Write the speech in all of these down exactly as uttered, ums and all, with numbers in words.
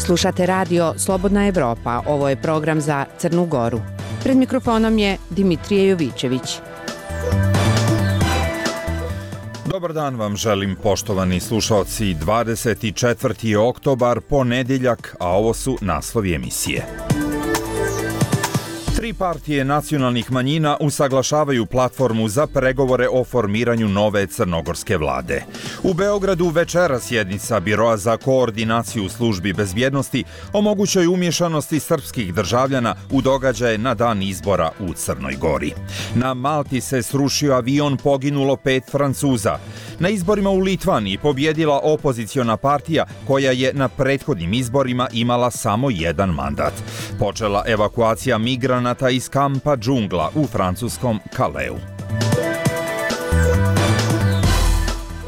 Slušate radio Slobodna Evropa, ovo je program za Crnu Goru. Pred mikrofonom je Dimitrije Jovićević. Dobar dan vam želim, poštovani slušaoci. dvadeset četvrti oktobar, ponedjeljak, a ovo su naslovi emisije. Tri partije nacionalnih manjina usaglašavaju platformu za pregovore o formiranju nove crnogorske vlade. U Beogradu večera sjednica Biroa za koordinaciju službi bezbjednosti o mogućoj umješanosti srpskih državljana u događaje na dan izbora u Crnoj Gori. Na Malti se srušio avion, poginulo pet Francuza. Na izborima u Litvaniji pobjedila opoziciona partija koja je na prethodnim izborima imala samo jedan mandat. Počela evakuacija migranata iz kampa džungla u francuskom Kaleu.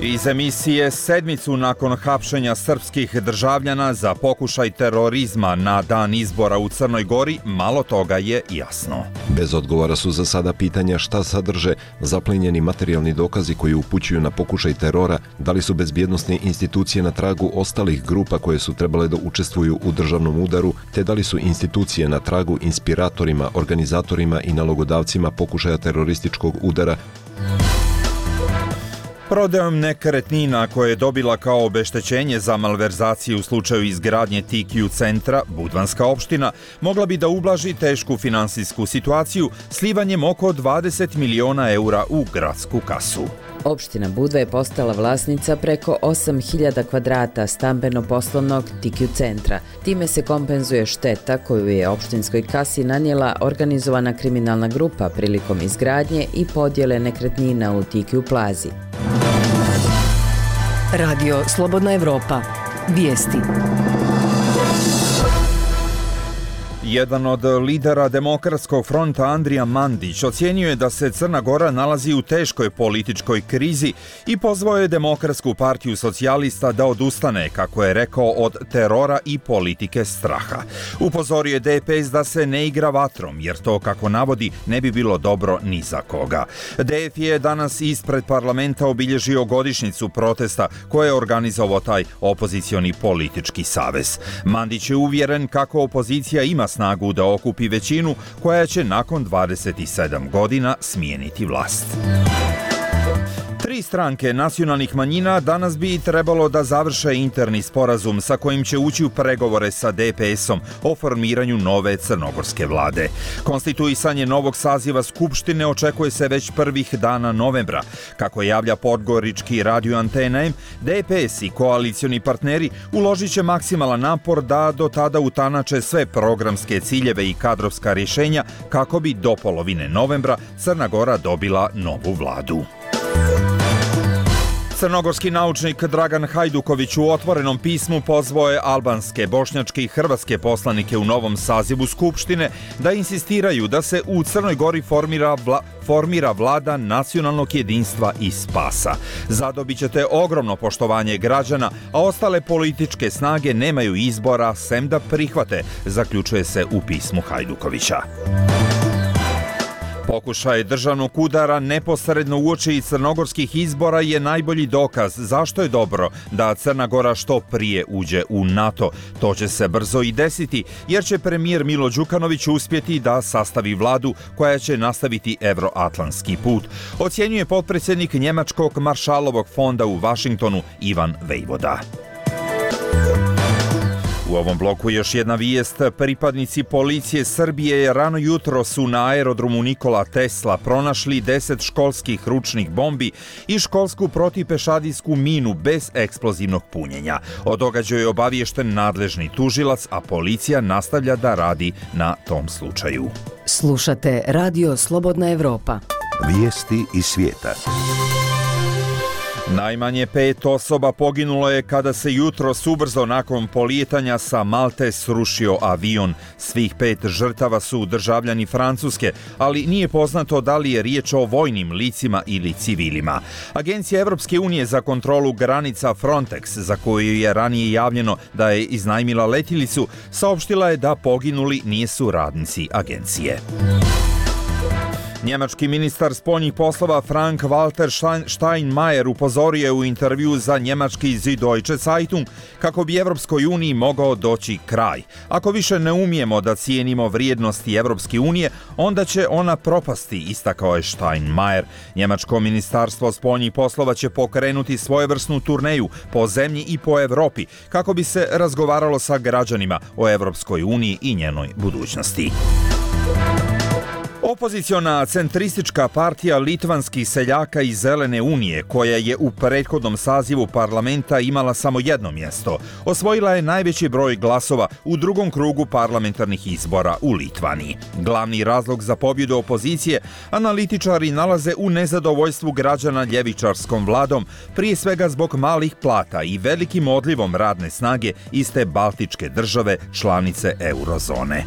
Iz emisije sedmicu nakon hapšenja srpskih državljana za pokušaj terorizma na dan izbora u Crnoj Gori, malo toga je jasno. Bez odgovora su za sada pitanja šta sadrže zaplenjeni materijalni dokazi koji upućuju na pokušaj terora, da li su bezbjednosne institucije na tragu ostalih grupa koje su trebale da učestvuju u državnom udaru, te da li su institucije na tragu inspiratorima, organizatorima i nalogodavcima pokušaja terorističkog udara. Prodajom nekretnina koje je dobila kao obeštećenje za malverzaciju u slučaju izgradnje T Q centra, Budvanska opština mogla bi da ublaži tešku finansijsku situaciju slivanjem oko dvadeset miliona eura u gradsku kasu. Opština Budva je postala vlasnica preko osam hiljada kvadrata stambeno-poslovnog T Q centra. Time se kompenzuje šteta koju je opštinskoj kasi nanijela organizovana kriminalna grupa prilikom izgradnje i podjele nekretnina u T Q plazi. Radio Slobodna Evropa. Vijesti. Jedan od lidera Demokratskog fronta, Andrija Mandić, ocjenjuje da se Crna Gora nalazi u teškoj političkoj krizi i pozvao je Demokratsku partiju socijalista da odustane, kako je rekao, od terora i politike straha. Upozorio je D P S da se ne igra vatrom, jer to, kako navodi, ne bi bilo dobro ni za koga. D F je danas ispred parlamenta obilježio godišnjicu protesta koje je organizovao taj opozicioni politički savez. Mandić je uvjeren kako opozicija ima snagu da okupi većinu koja će nakon dvadeset sedam godina smijeniti vlast. Tri stranke nacionalnih manjina danas bi trebalo da završe interni sporazum sa kojim će ući u pregovore sa D P S-om o formiranju nove crnogorske vlade. Konstituisanje novog saziva Skupštine očekuje se već prvih dana novembra. Kako javlja podgorički radio Antena M, D P S i koalicioni partneri uložit će maksimalan napor da do tada utanače sve programske ciljeve i kadrovska rješenja kako bi do polovine novembra Crna Gora dobila novu vladu. Crnogorski naučnik Dragan Hajduković u otvorenom pismu pozvao je albanske, bošnjačke i hrvatske poslanike u novom sazivu Skupštine da insistiraju da se u Crnoj Gori formira, vla, formira vlada nacionalnog jedinstva i spasa. Zadobit ćete ogromno poštovanje građana, a ostale političke snage nemaju izbora sem da prihvate, zaključuje se u pismu Hajdukovića. Pokušaj državnog udara neposredno uoči crnogorskih izbora je najbolji dokaz zašto je dobro da Crna Gora što prije uđe u NATO. To će se brzo i desiti, jer će premijer Milo Đukanović uspjeti da sastavi vladu koja će nastaviti evroatlantski put, ocjenjuje potpredsjednik Njemačkog maršalovog fonda u Vašingtonu Ivan Vejvoda. U ovom bloku još jedna vijest. Pripadnici policije Srbije rano jutro su na aerodromu Nikola Tesla pronašli deset školskih ručnih bombi i školsku protipešadijsku minu bez eksplozivnog punjenja. O događaju je obaviješten nadležni tužilac, a policija nastavlja da radi na tom slučaju. Slušate Radio Slobodna Evropa. Vijesti iz svijeta. Najmanje pet osoba poginulo je kada se jutros ubrzo nakon polijetanja sa Malte srušio avion. Svih pet žrtava su državljani Francuske, ali nije poznato da li je riječ o vojnim licima ili civilima. Agencija Evropske unije za kontrolu granica Frontex, za koju je ranije javljeno da je iznajmila letjelicu, saopštila je da poginuli nisu radnici agencije. Njemački ministar spoljnih poslova Frank-Walter Steinmeier upozorio je u intervju za njemački Süddeutsche Zeitung kako bi Evropskoj uniji mogao doći kraj. Ako više ne umijemo da cijenimo vrijednosti Evropske unije, onda će ona propasti, istakao je Steinmeier. Njemačko ministarstvo spoljnih poslova će pokrenuti svojevrsnu turneju po zemlji i po Evropi kako bi se razgovaralo sa građanima o Evropskoj uniji i njenoj budućnosti. Opoziciona centristička partija litvanskih seljaka i Zelene unije, koja je u prethodnom sazivu parlamenta imala samo jedno mjesto, osvojila je najveći broj glasova u drugom krugu parlamentarnih izbora u Litvaniji. Glavni razlog za pobjedu opozicije analitičari nalaze u nezadovoljstvu građana ljevičarskom vladom, prije svega zbog malih plata i velikim odlivom radne snage iz te baltičke države, članice eurozone.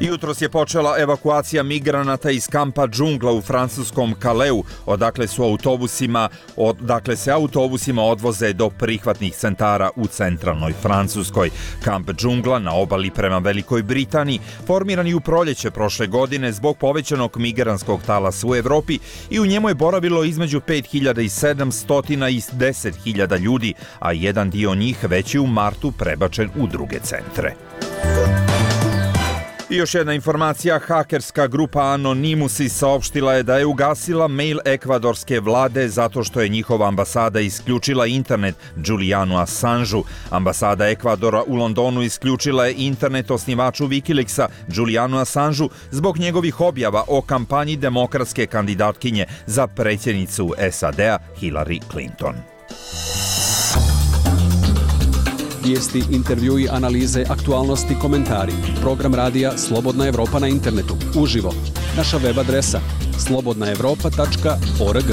Jutros je počela evakuacija migranata iz kampa Džungla u francuskom Kaleu, odakle su autobusima, odakle se autobusima odvoze do prihvatnih centara u centralnoj Francuskoj. Kamp Džungla na obali prema Velikoj Britaniji formiran je u proljeće prošle godine zbog povećanog migrantskog talasa u Evropi i u njemu je boravilo između pet hiljada sedamsto i deset hiljada ljudi, a jedan dio njih već je u martu prebačen u druge centre. I još jedna informacija, hakerska grupa Anonymous saopštila je da je ugasila mail ekvadorske vlade zato što je njihova ambasada isključila internet Julianu Assangeu. Ambasada Ekvadora u Londonu isključila je internet osnivaču Wikileaksa Julianu Assangeu zbog njegovih objava o kampanji demokratske kandidatkinje za predsjednicu S A D-a Hillary Clinton. Vijesti, intervjui, analize, aktualnosti, komentari. Program radija Slobodna Evropa na internetu. Uživo. Naša web adresa slobodna evropa tačka org.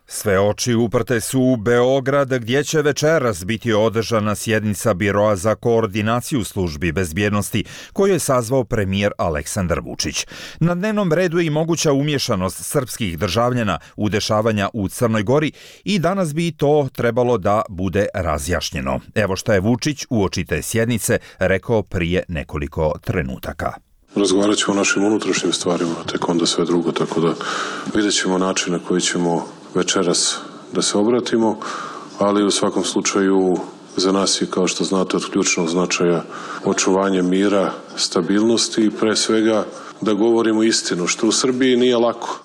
Sve oči uprte su u Beograd, gdje će večeras biti održana sjednica Biroa za koordinaciju službi bezbjednosti, koju je sazvao premijer Aleksandar Vučić. Na dnevnom redu je i moguća umješanost srpskih državljana u dešavanja u Crnoj Gori i danas bi to trebalo da bude razjašnjeno. Evo šta je Vučić uoči te sjednice rekao prije nekoliko trenutaka. Razgovarat ćemo o našim unutrašnjim stvarima, tek onda sve drugo, tako da vidjet ćemo način na koji ćemo večeras da se obratimo, ali u svakom slučaju za nas je, kao što znate, od ključnog značaja očuvanje mira, stabilnosti i pre svega da govorimo istinu, što u Srbiji nije lako.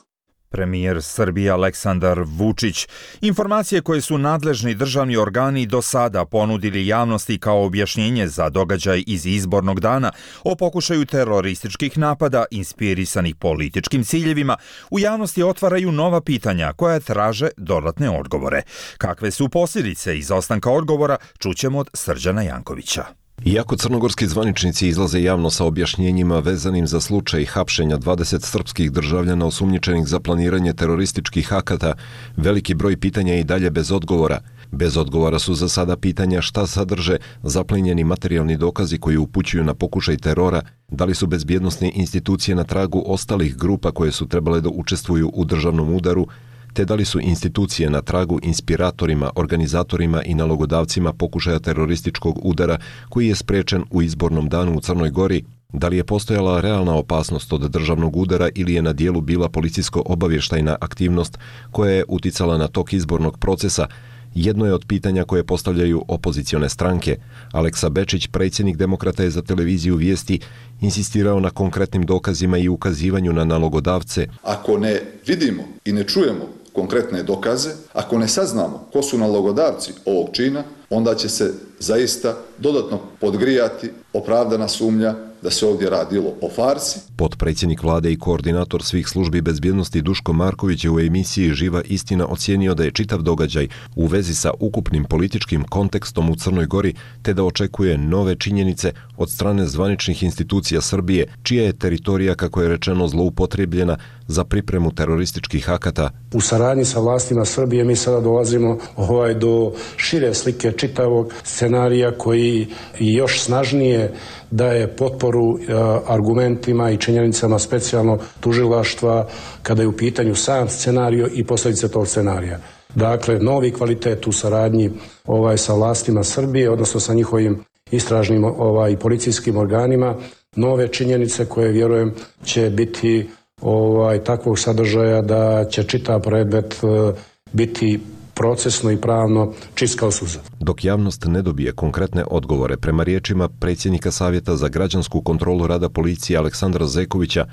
Premijer Srbije Aleksandar Vučić. Informacije koje su nadležni državni organi do sada ponudili javnosti kao objašnjenje za događaj iz izbornog dana o pokušaju terorističkih napada inspirisanih političkim ciljevima, u javnosti otvaraju nova pitanja koja traže dodatne odgovore. Kakve su posljedice izostanka odgovora, čućemo od Srđana Jankovića. Iako crnogorski zvaničnici izlaze javno sa objašnjenjima vezanim za slučaj hapšenja dvadeset srpskih državljana osumnjičenih za planiranje terorističkih akata, veliki broj pitanja je i dalje bez odgovora. Bez odgovora su za sada pitanja šta sadrže zaplenjeni materijalni dokazi koji upućuju na pokušaj terora, da li su bezbjednosne institucije na tragu ostalih grupa koje su trebale da učestvuju u državnom udaru, te da li su institucije na tragu inspiratorima, organizatorima i nalogodavcima pokušaja terorističkog udara koji je sprečen u izbornom danu u Crnoj Gori, da li je postojala realna opasnost od državnog udara ili je na dijelu bila policijsko-obavještajna aktivnost koja je uticala na tok izbornog procesa, jedno je od pitanja koje postavljaju opozicione stranke. Aleksa Bečić, predsjednik Demokrata, je za televiziju Vijesti insistirao na konkretnim dokazima i ukazivanju na nalogodavce. Ako ne vidimo i ne čujemo konkretne dokaze, ako ne saznamo ko su nalogodavci ovog čina, onda će se zaista dodatno podgrijati opravdana sumnja da se ovdje radilo o farsi. Potpredsjednik vlade i koordinator svih službi bezbjednosti Duško Marković je u emisiji Živa istina ocijenio da je čitav događaj u vezi sa ukupnim političkim kontekstom u Crnoj Gori, te da očekuje nove činjenice od strane zvaničnih institucija Srbije, čija je teritorija, kako je rečeno, zloupotrebljena za pripremu terorističkih akata. U saradnji sa vlastima Srbije mi sada dolazimo ovaj, do šire slike čitavog scenarija koji još snažnije daje potporu e, argumentima i činjenicama specijalno tužilaštva kada je u pitanju sam scenario i posljedice tog scenarija. Dakle, novi kvalitet u saradnji ovaj, sa vlastima Srbije, odnosno sa njihovim istražnim ovaj, policijskim organima, nove činjenice koje vjerujem će biti ovaj, takvog sadržaja da će čitav predmet biti procesno i pravno čist kao suza. Dok javnost ne dobije konkretne odgovore, prema riječima predsjednika Savjeta za građansku kontrolu rada policije Aleksandra Zekovića,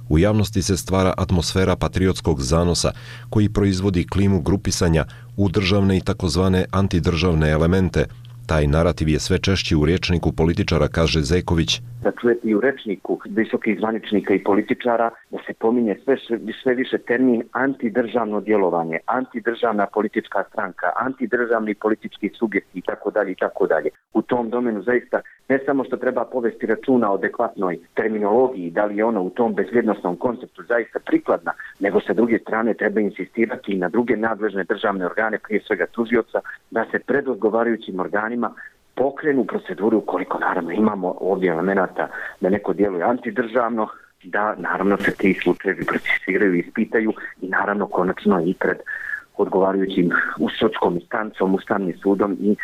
u javnosti se stvara atmosfera patriotskog zanosa koji proizvodi klimu grupisanja u državne i takozvane antidržavne elemente. Taj narativ je sve češći u rječniku političara, kaže Zeković. Da čujete i u rečniku visokih zvaničnika i političara da se pominje sve, sve više termin antidržavno djelovanje, antidržavna politička stranka, antidržavni politički subjekti itd. itd. U tom domenu zaista ne samo što treba povesti računa o adekvatnoj terminologiji, da li je ona u tom bezvjednostnom konceptu zaista prikladna, nego sa druge strane treba insistirati i na druge nadležne državne organe, prije svega tužioca, da se pred odgovarajućim organima pokrenu proceduru ukoliko naravno imamo ovdje elemenata da neko djeluje antidržavno, da naravno se ti slučajevi procesuiraju i ispitaju i naravno konačno i pred odgovarajućim u sudskom instancom, ustavnim sudom i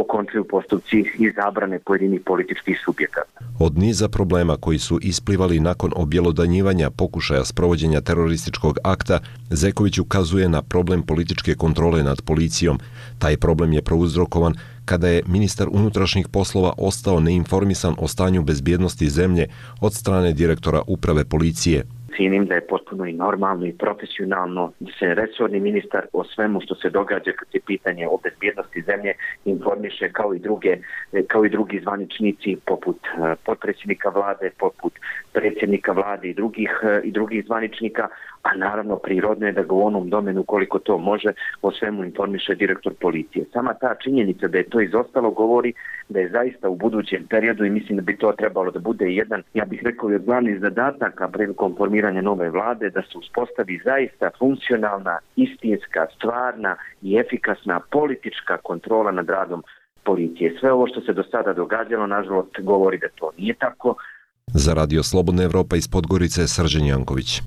okončuju postupci i zabrane pojedinih političkih subjekata. Od niza problema koji su isplivali nakon objelodanjivanja pokušaja sprovođenja terorističkog akta, Zeković ukazuje na problem političke kontrole nad policijom. Taj problem je prouzrokovan kada je ministar unutrašnjih poslova ostao neinformisan o stanju bezbjednosti zemlje od strane direktora uprave policije. Cijenim da je potpuno i normalno i profesionalno da se resorni ministar o svemu što se događa kad je pitanje o bezbjednosti zemlje informiše kao i druge, kao i drugi zvaničnici poput potpredsjednika vlade, poput predsjednika vlade i drugih, i drugih zvaničnika, a naravno prirodno je da ga u onom domenu koliko to može o svemu informiše direktor policije. Sama ta činjenica da je to izostalo govori da je zaista u budućem periodu i mislim da bi to trebalo da bude jedan, ja bih rekao i od glavnih zadataka prilikom formiranja nove vlade, da se uspostavi zaista funkcionalna, istinska, stvarna i efikasna politička kontrola nad radom policije. Sve ovo što se do sada događalo, nažalost, govori da to nije tako. Za Radio Slobodna Evropa iz Podgorice, Srđan Janković.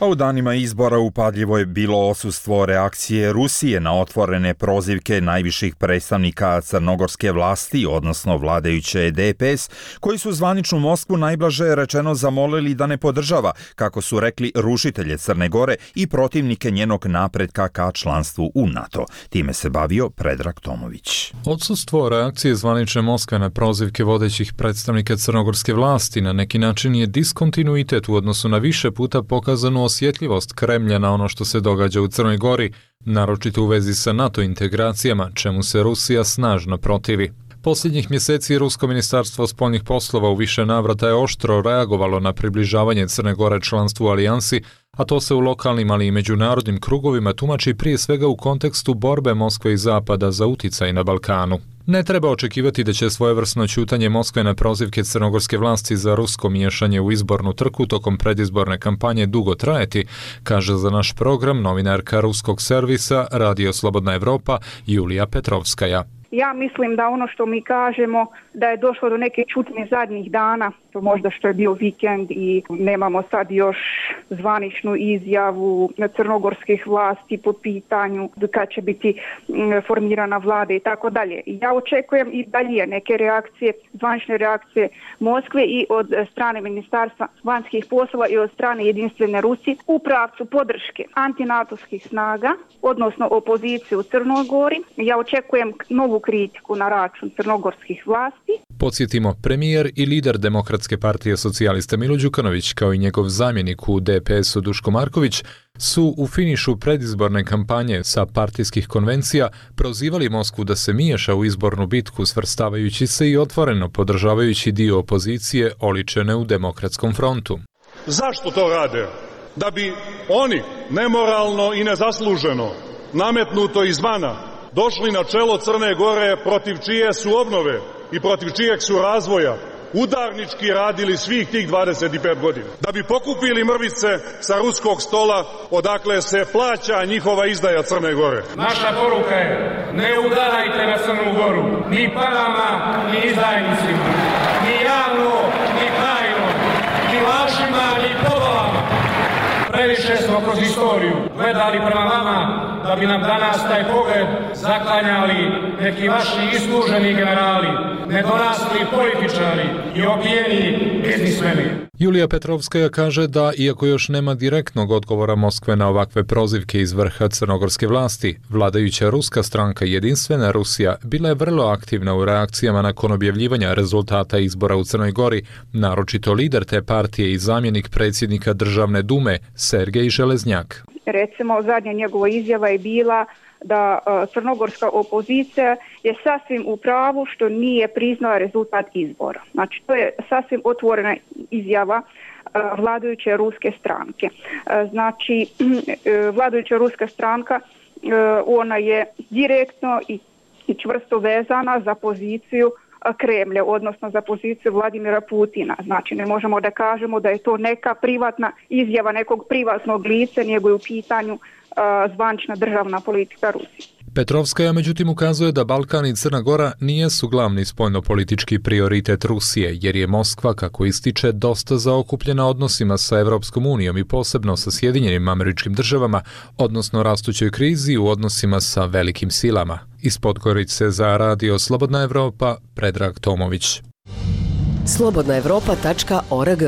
A u danima izbora upadljivo je bilo odsustvo reakcije Rusije na otvorene prozivke najviših predstavnika crnogorske vlasti, odnosno vladajuće D P S, koji su zvaničnu Moskvu najblaže rečeno zamolili da ne podržava, kako su rekli, rušitelje Crne Gore i protivnike njenog napretka ka članstvu u NATO. Time se bavio Predrag Tomović. Odsustvo reakcije zvanične Moskve na prozivke vodećih predstavnika crnogorske vlasti na neki način je diskontinuitet u odnosu na više puta pokazanu osjetljivost Kremlja na ono što se događa u Crnoj Gori, naročito u vezi sa NATO integracijama, čemu se Rusija snažno protivi. Posljednjih mjeseci Rusko ministarstvo spoljnih poslova u više navrata je oštro reagovalo na približavanje Crne Gore članstvu u alijansi, a to se u lokalnim, ali i međunarodnim krugovima tumači prije svega u kontekstu borbe Moskve i Zapada za uticaj na Balkanu. Ne treba očekivati da će svojevrsno ćutanje Moskve na prozivke crnogorske vlasti za rusko miješanje u izbornu trku tokom predizborne kampanje dugo trajati, kaže za naš program novinarka ruskog servisa Radio Slobodna Evropa Julija Petrovskaja. Ja mislim da ono što mi kažemo da je došlo do neke čutnje zadnjih dana, to možda što je bio vikend i nemamo sad još zvaničnu izjavu crnogorskih vlasti po pitanju kad će biti formirana vlada i tako dalje. Ja očekujem i dalje neke reakcije, zvanične reakcije Moskve i od strane Ministarstva vanjskih poslova i od strane Jedinstvene Rusije u pravcu podrške antinatovskih snaga, odnosno opozicije u Crnoj Gori. Ja očekujem novu kritiku na račun crnogorskih vlasti. Podsjetimo, premijer i lider Demokratske partije socijalista Milo Đukanović kao i njegov zamjenik u D P S-u Duško Marković su u finišu predizborne kampanje sa partijskih konvencija prozivali Moskvu da se miješa u izbornu bitku, svrstavajući se i otvoreno podržavajući dio opozicije oličene u Demokratskom frontu. Zašto to rade? Da bi oni nemoralno i nezasluženo nametnuto izvana došli na čelo Crne Gore protiv čije su obnove i protiv čijeg su razvoja udarnički radili svih tih dvadeset pet godina. Da bi pokupili mrvice sa ruskog stola odakle se plaća njihova izdaja Crne Gore. Naša poruka je: ne udarajte na Crnu Goru, ni parama, ni izdajnicima, ni javno, ni tajno, ni lažima, ni povolama. Previše smo kroz istoriju gledali prema vama da bi nam danas taj pogled zaklanjali neki vaši isluženi generali, nedorasli političari i opijeni biznismeni. Julija Petrovskaja kaže da, iako još nema direktnog odgovora Moskve na ovakve prozivke iz vrha crnogorske vlasti, vladajuća ruska stranka Jedinstvena Rusija bila je vrlo aktivna u reakcijama nakon objavljivanja rezultata izbora u Crnoj Gori, naročito lider te partije i zamjenik predsjednika Državne dume Sergej Železnjak. Recimo, zadnja njegova izjava je bila da crnogorska opozicija je sasvim u pravu što nije priznala rezultat izbora. Znači, to je sasvim otvorena izjava vladajuće ruske stranke. Znači, vladajuća ruska stranka, ona je direktno i čvrsto vezana za poziciju Kremlja, odnosno za poziciju Vladimira Putina. Znači, ne možemo da kažemo da je to neka privatna izjava nekog privatnog lica, nego je u pitanju zvanična državna politika Rusije. Petrovskaja međutim ukazuje da Balkan i Crna Gora nijesu glavni spoljnopolitički prioritet Rusije, jer je Moskva, kako ističe, dosta zaokupljena odnosima sa Evropskom unijom i posebno sa Sjedinjenim Američkim Državama, odnosno rastućoj krizi u odnosima sa velikim silama. Iz Podgorice za Radio Slobodna Evropa, Predrag Tomović. slobodna evropa tačka org.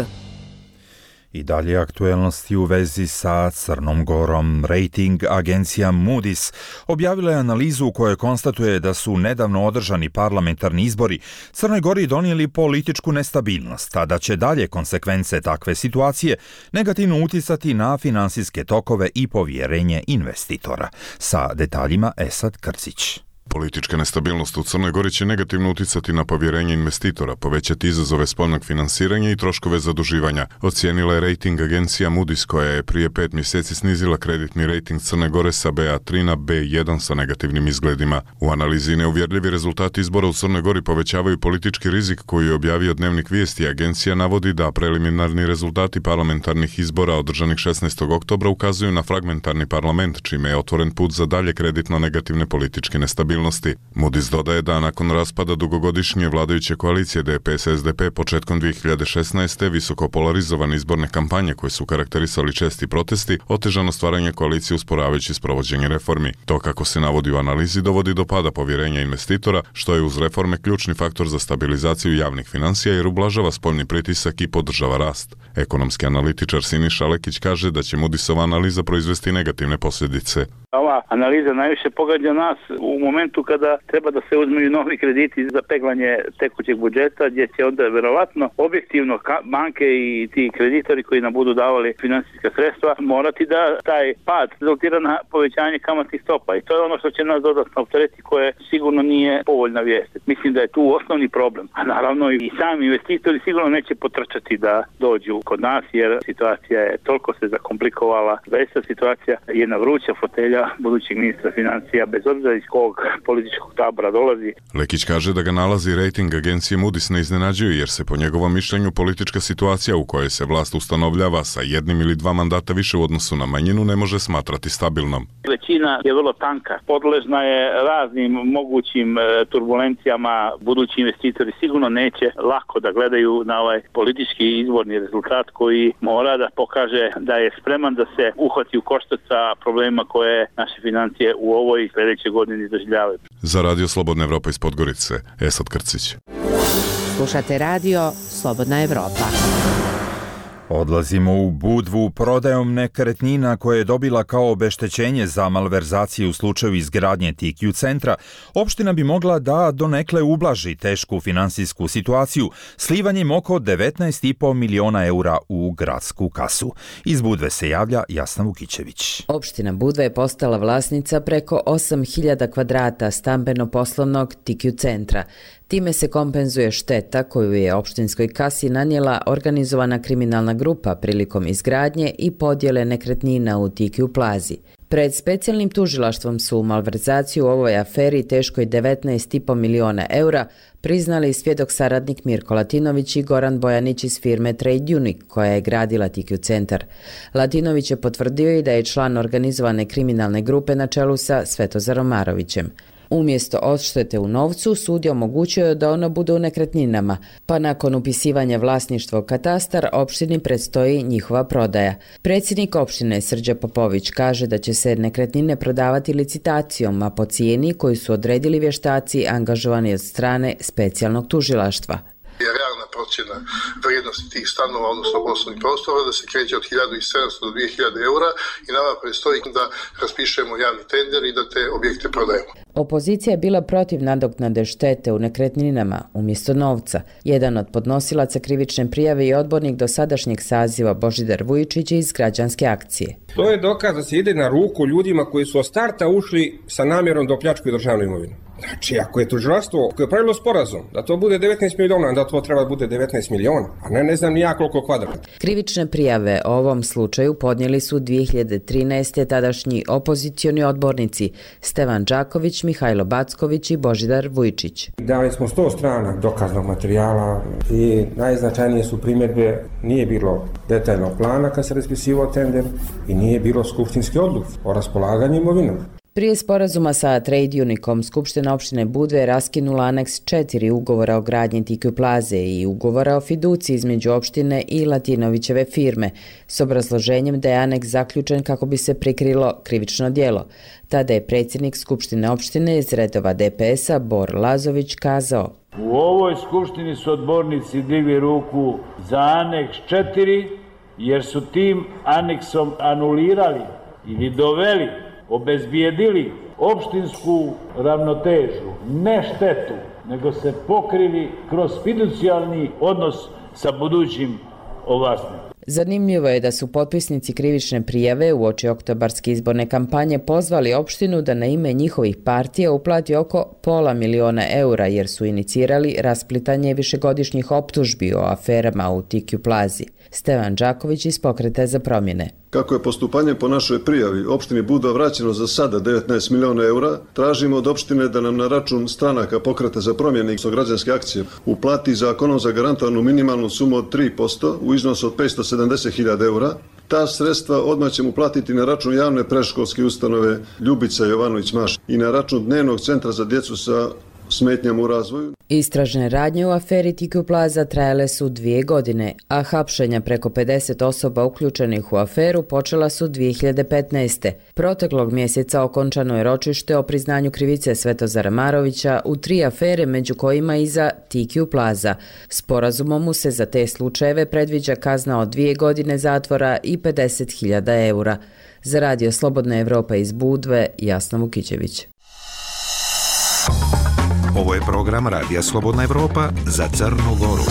I dalje aktuelnosti u vezi sa Crnom Gorom. Rating agencija Moody's objavila je analizu u kojoj konstatuje da su nedavno održani parlamentarni izbori Crnoj Gori donijeli političku nestabilnost, a da će dalje konsekvence takve situacije negativno uticati na finansijske tokove i povjerenje investitora. Sa detaljima Esad Krcić. Politička nestabilnost u Crnoj Gori će negativno uticati na povjerenje investitora, povećati izazove spoljnog finansiranja i troškove zaduživanja, ocijenila je rating agencija Moody's, koja je prije pet mjeseci snizila kreditni rating Crne Gore sa B A tri na B jedan sa negativnim izgledima. U analizi neuvjerljivi rezultati izbora u Crnoj Gori povećavaju politički rizik koji je objavio Dnevnik vijesti. Agencija navodi da preliminarni rezultati parlamentarnih izbora održanih šesnaestog oktobra ukazuju na fragmentarni parlament, čime je otvoren put za dalje kreditno negativne političke nestabilnosti. Moody's dodaje da nakon raspada dugogodišnje vladajuće koalicije D P S S D P početkom dvije hiljade šesnaeste visoko polarizovane izborne kampanje koje su karakterisali česti protesti, otežano stvaranje koalicije usporavajući sprovođenje reformi. To, kako se navodi u analizi, dovodi do pada povjerenja investitora, što je uz reforme ključni faktor za stabilizaciju javnih financija jer ublažava spoljni pritisak i podržava rast. Ekonomski analitičar Siniša Lekić kaže da će Moody'sova analiza proizvesti negativne posljedice. Ova analiza najviše pogađa nas u momentu kada treba da se uzmeju novi krediti za peglanje tekućeg budžeta, gdje će onda verovatno objektivno banke i ti kreditori koji nam budu davali finansijska sredstva morati da taj pad rezultira na povećanje kamatnih stopa. I to je ono što će nas dodatno opteretiti, koje sigurno nije povoljna vijest. Mislim da je tu osnovni problem. A naravno i sami investitori sigurno neće potrčati da dođu kod nas, jer situacija je toliko se zakomplikovala. Zaista situacija je na vruća fotelja budućeg ministra financija, bez obzira iz kog političkog tabora dolazi. Lekić kaže da ga nalazi rating agencije Moody's ne iznenađuje, jer se po njegovom mišljenju politička situacija u kojoj se vlast ustanovljava sa jednim ili dva mandata više u odnosu na manjinu ne može smatrati stabilnom. Većina je vrlo tanka, podležna je raznim mogućim turbulencijama. Budući investitori sigurno neće lako da gledaju na ovaj politički izborni rezultat koji mora da pokaže da je spreman da se uhvati u koštac sa problemima koje naše financije u ovoj i sljedećoj godini doživljavaju. Za Radio Slobodna Evropa iz Podgorice, Esad Krcić. Slušate Radio Slobodna Evropa. Odlazimo u Budvu. Prodajom nekretnina koje je dobila kao obeštećenje za malverzacije u slučaju izgradnje T Q centra, opština bi mogla da donekle ublaži tešku finansijsku situaciju slivanjem oko devetnaest i po miliona eura u gradsku kasu. Iz Budve se javlja Jasna Vukićević. Opština Budva je postala vlasnica preko osam hiljada kvadrata stambeno-poslovnog T Q centra. Time se kompenzuje šteta koju je opštinskoj kasi nanijela organizovana kriminalna grupa prilikom izgradnje i podjele nekretnina u T Q plazi. Pred specijalnim tužilaštvom su malverzaciju u ovoj aferi teškoj devetnaest i po miliona eura priznali svjedok saradnik Mirko Latinović i Goran Bojanić iz firme Trade Unique koja je gradila T Q centar. Latinović je potvrdio i da je član organizovane kriminalne grupe na čelu sa Svetozarom Marovićem. Umjesto odštete u novcu, sud je omogućio da ono bude u nekretninama, pa nakon upisivanja vlasništva u katastar, opštini predstoji njihova prodaja. Predsjednik opštine Srđa Popović kaže da će se nekretnine prodavati licitacijom, a po cijeni koju su odredili vještaci angažovani od strane specijalnog tužilaštva. Je realna procjena vrijednosti tih stanova, odnosno poslovnih prostora, da se kreće od hiljadu sedamsto do dvije hiljade eura i nama predstoji da raspišemo javni tender i da te objekte prodajemo. Opozicija je bila protiv nadoknade štete u nekretninama umjesto novca. Jedan od podnosilaca krivične prijave je odbornik dosadašnjeg saziva Božidar Vujičić iz Građanske akcije. To je dokaz da se ide na ruku ljudima koji su od starta ušli sa namjerom da opljačkaju državnu imovinu. Znači, ako je tužilaštvo koje je pravilo sporazum da to bude devetnaest miliona, onda to treba da bude devetnaest miliona, a ne ne znam ni ja koliko kvadrata. Krivične prijave o ovom slučaju podnijeli su dvije hiljade trinaeste. tadašnji opozicioni odbornici Stevan Đaković, Mihajlo Backović i Božidar Vujičić. Dali smo sto strana dokaznog materijala i najznačajnije su primjedbe, nije bilo detaljnog plana kad se raspisivao tender i nije bilo skupštinske odluke o raspolaganju imovinom. Prije sporazuma sa Trade Unicom, Skupština opštine Budve je raskinula aneks četiri ugovora o gradnji T Q Plaze i ugovora o fiduciji između opštine i Latinovićeve firme, s obrazloženjem da je aneks zaključen kako bi se prikrilo krivično djelo. Tada je predsjednik Skupštine opštine iz redova D P S-a Bor Lazović kazao: U ovoj skupštini su odbornici digli ruku za aneks četiri jer su tim aneksom anulirali ili doveli, obezbijedili opštinsku ravnotežu, ne štetu, nego se pokrili kroz fiducijalni odnos sa budućim ovlasnikom. Zanimljivo je da su potpisnici krivične prijave uoči oktobarske izborne kampanje pozvali opštinu da na ime njihovih partija uplati oko pola miliona eura jer su inicirali rasplitanje višegodišnjih optužbi o aferama u T Q Plazi. Stevan Đaković iz Pokreta za promjene. Kako je postupanje po našoj prijavi opštini Budva vraćeno za sada devetnaest miliona eura, tražimo od opštine da nam na račun stranaka Pokreta za promjene i Građanske akcije uplati zakonom zagarantovanu minimalnu sumu od tri posto u iznosu od petsto sedamdeset hiljada eura. Ta sredstva odmah ćemo platiti na račun javne predškolske ustanove Ljubica Jovanović Maš i na račun dnevnog centra za djecu sa smetnjama u razvoju. Istražne radnje u aferi T Q Plaza trajale su dvije godine, a hapšenja preko pedeset osoba uključenih u aferu počela su dvije hiljade petnaeste. Proteklog mjeseca okončano je ročište o priznanju krivice Svetozara Marovića u tri afere, među kojima i za T Q Plaza. Sporazumom mu se za te slučajeve predviđa kazna od dvije godine zatvora i pedeset hiljada eura. Za radio Slobodna Evropa iz Budve, Jasna Vukićević. Ovo je program Radija Slobodna Evropa za Crnu Goru.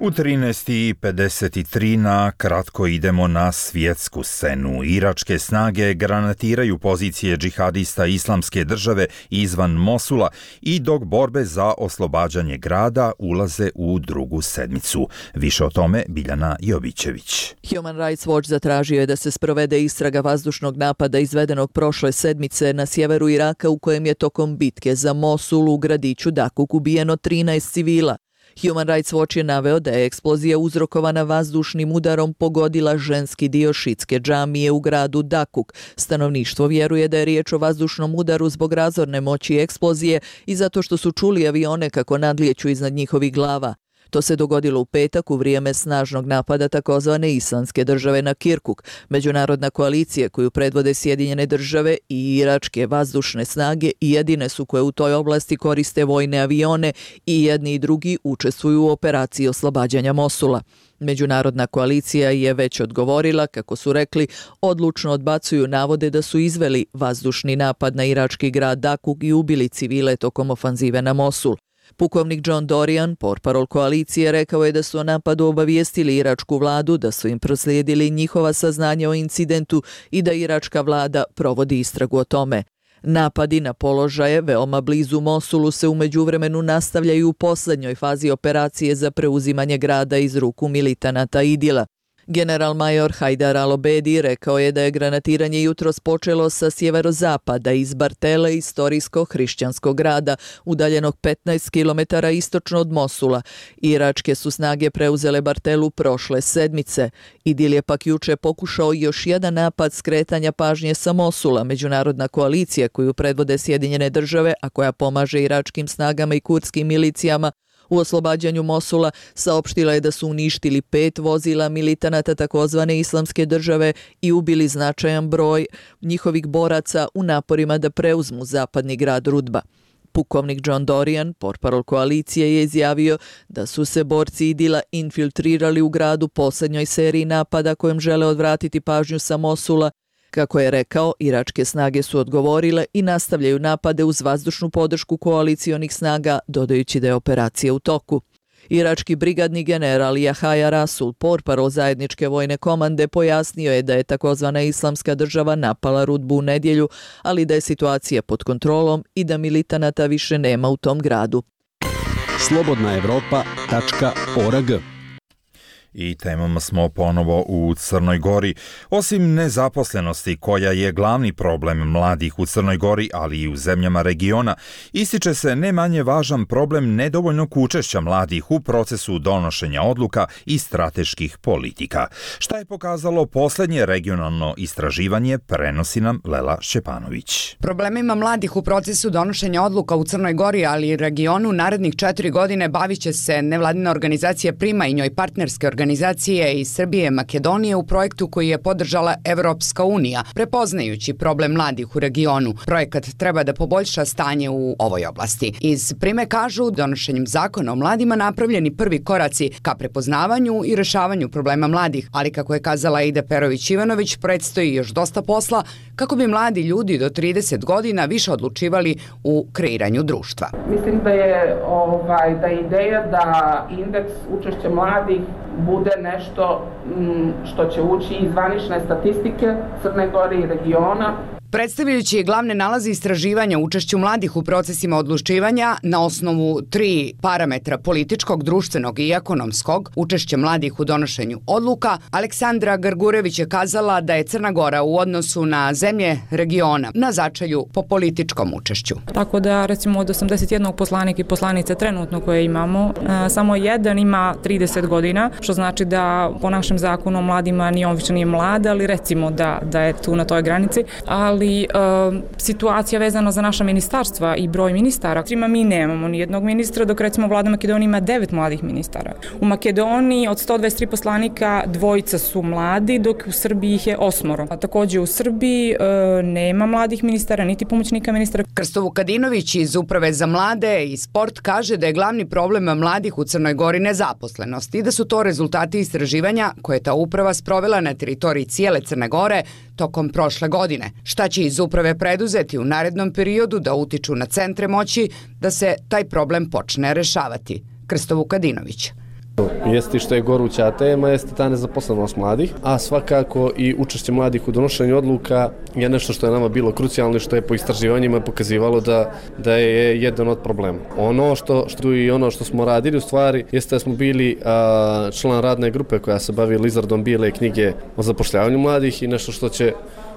U trinaest i pedeset tri na kratko idemo na svjetsku scenu. Iračke snage granatiraju pozicije džihadista Islamske države izvan Mosula i dok borbe za oslobađanje grada ulaze u drugu sedmicu. Više o tome Biljana Jovićević. Human Rights Watch zatražio je da se sprovede istraga vazdušnog napada izvedenog prošle sedmice na sjeveru Iraka u kojem je tokom bitke za Mosul u gradiću Dakuk ubijeno trinaest civila. Human Rights Watch je naveo da je eksplozija uzrokovana vazdušnim udarom pogodila ženski dio šitske džamije u gradu Dakuk. Stanovništvo vjeruje da je riječ o vazdušnom udaru zbog razorne moći eksplozije i zato što su čuli avione kako nadlijeću iznad njihovih glava. To se dogodilo u petak u vrijeme snažnog napada takozvane Islamske države na Kirkuk. Međunarodna koalicija koju predvode Sjedinjene države i iračke vazdušne snage jedine su koje u toj oblasti koriste vojne avione i jedni i drugi učestvuju u operaciji oslobađanja Mosula. Međunarodna koalicija je već odgovorila, kako su rekli, odlučno odbacuju navode da su izveli vazdušni napad na irački grad Dakuk i ubili civile tokom ofanzive na Mosul. Pukovnik John Dorian, portparol koalicije, rekao je da su o napadu obavijestili iračku vladu, da su im proslijedili njihova saznanja o incidentu i da iračka vlada provodi istragu o tome. Napadi na položaje veoma blizu Mosulu se u međuvremenu nastavljaju u posljednjoj fazi operacije za preuzimanje grada iz ruku militanata Idila. General major Hajdar Al-Obedi rekao je da je granatiranje jutros počelo sa sjeverozapada iz Bartele, istorijskog hrišćanskog grada, udaljenog petnaest kilometara istočno od Mosula. Iračke su snage preuzele Bartelu prošle sedmice. Idil je pak juče pokušao još jedan napad skretanja pažnje sa Mosula. Međunarodna koalicija koju predvode Sjedinjene države, a koja pomaže iračkim snagama i kurdskim milicijama u oslobađanju Mosula, saopštila je da su uništili pet vozila militanata takozvane islamske države i ubili značajan broj njihovih boraca u naporima da preuzmu zapadni grad Rudba. Pukovnik John Dorian, portparol koalicije, je izjavio da su se borci Idila infiltrirali u gradu posljednjoj seriji napada kojim žele odvratiti pažnju sa Mosula. Kako je rekao, iračke snage su odgovorile i nastavljaju napade uz vazdušnu podršku koalicijonih snaga, dodajući da je operacija u toku. Irački brigadni general Jahaja Rasul, portparol zajedničke vojne komande, pojasnio je da je takozvana islamska država napala Rudbu u nedjelju, ali da je situacija pod kontrolom i da militanata više nema u tom gradu. slobodna evropa tačka org. I temom smo ponovo u Crnoj Gori. Osim nezaposlenosti, koja je glavni problem mladih u Crnoj Gori, ali i u zemljama regiona, ističe se ne manje važan problem nedovoljnog učešća mladih u procesu donošenja odluka i strateških politika. Šta je pokazalo posljednje regionalno istraživanje, prenosi nam Lela Šćepanović. Problemima mladih u procesu donošenja odluka u Crnoj Gori, ali i regionu, narednih četiri godine bavit će se nevladina organizacija Prima i njoj partnerske organizacije organizacije iz Srbije i Makedonije u projektu koji je podržala Evropska unija, prepoznajući problem mladih u regionu. Projekat treba da poboljša stanje u ovoj oblasti. Iz Prime kažu, donošenjem zakona o mladima napravljeni prvi koraci ka prepoznavanju i rešavanju problema mladih, ali kako je kazala Ida Perović-Ivanović, predstoji još dosta posla kako bi mladi ljudi do trideset godina više odlučivali u kreiranju društva. Mislim da je ovaj, da je ideja da indeks učešća mladih bude nešto što će ući iz zvanične statistike Crne Gore i regiona. Predstavljajući glavne nalaze istraživanja učešću mladih u procesima odlučivanja na osnovu tri parametra političkog, društvenog i ekonomskog, učešće mladih u donošenju odluka, Aleksandra Grgurević je kazala da je Crna Gora u odnosu na zemlje regiona na začelju po političkom učešću. Tako da recimo od osamdeset jednog poslanika i poslanice trenutno koje imamo, samo jedan ima trideset godina, što znači da po našem zakonu o mladima ni on više nije mlad, ali recimo da, da je tu na toj granici, ali ali e, situacija vezana za naša ministarstva i broj ministara. Trima mi nemamo ni jednog ministra, dok recimo vlada Makedonije ima devet mladih ministara. U Makedoniji od sto dvadeset tri poslanika dvojica su mladi, dok u Srbiji ih je osmoro. A također u Srbiji e, nema mladih ministara, niti pomoćnika ministara. Krsto Vukadinović iz Uprave za mlade i sport kaže da je glavni problem mladih u Crnoj Gori nezaposlenost i da su to rezultati istraživanja koje je ta uprava sprovela na teritoriji cijele Crne Gore tokom prošle godine. Šta će iz uprave preduzeti u narednom periodu da utiču na centre moći da se taj problem počne rešavati? Krsto Vukadinović. Jeste što je goruća tema, jeste ta nezaposlenost mladih, a svakako i učešće mladih u donošenju odluka je nešto što je nama bilo krucijalno i što je po istraživanjima pokazivalo da, da je jedan od problema. Ono što, što i ono što smo radili u stvari jeste da smo bili a, član radne grupe koja se bavi izradom bijele knjige o zapošljavanju mladih i nešto što će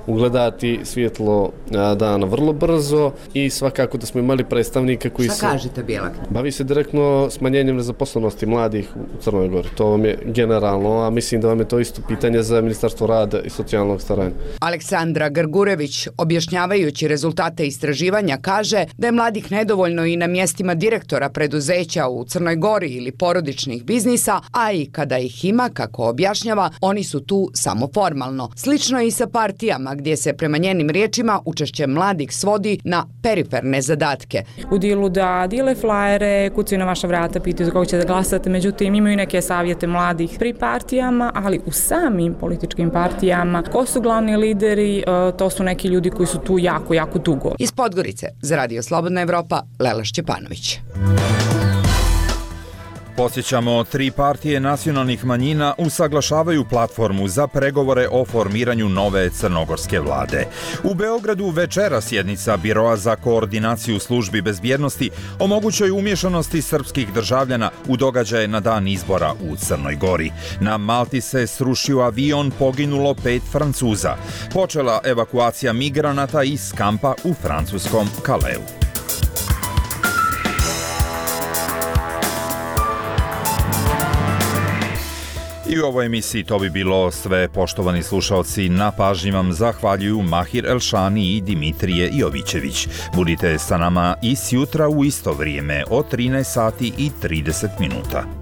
ugledati svjetlo dana vrlo brzo i svakako da smo imali predstavnika koji se... Šta kažete bijela knjiga? Bavi se direktno smanjenjem nezaposlenosti mladih u Crnoj Gori. To vam je generalno, a mislim da vam je to isto pitanje za Ministarstvo rada i socijalnog staranja. Aleksandra Grgurević, objašnjavajući rezultate istraživanja, kaže da je mladih nedovoljno i na mjestima direktora preduzeća u Crnoj Gori ili porodičnih biznisa, a i kada ih ima, kako objašnjava, oni su tu samo formalno. Slično je i sa partijama, gdje se prema njenim riječima učešće mladih svodi na periferne zadatke. U dilu da dile flajere, kucaju na vaša vrata, pitaju za koga ćete da glasate, međutim imaju neke savjete mladih pri partijama, ali u samim političkim partijama. Ko su glavni lideri? To su neki ljudi koji su tu jako, jako dugo. Iz Podgorice, za Radio Slobodna Evropa, Lela Šćepanović. Posjećamo, tri partije nacionalnih manjina usaglašavaju platformu za pregovore o formiranju nove crnogorske vlade. U Beogradu večera sjednica Biroa za koordinaciju službi bezbjednosti o mogućoj umješanosti srpskih državljana u događaje na dan izbora u Crnoj Gori. Na Malti se srušio avion, poginulo pet Francuza. Počela evakuacija migranata iz kampa u francuskom Kaleu. I u ovoj emisiji to bi bilo sve, poštovani slušalci. Na pažnji vam zahvaljuju Mahir Elšani i Dimitrije Jovićević. Budite sa nama i sjutra u isto vrijeme od trinaest sati i trideset minuta.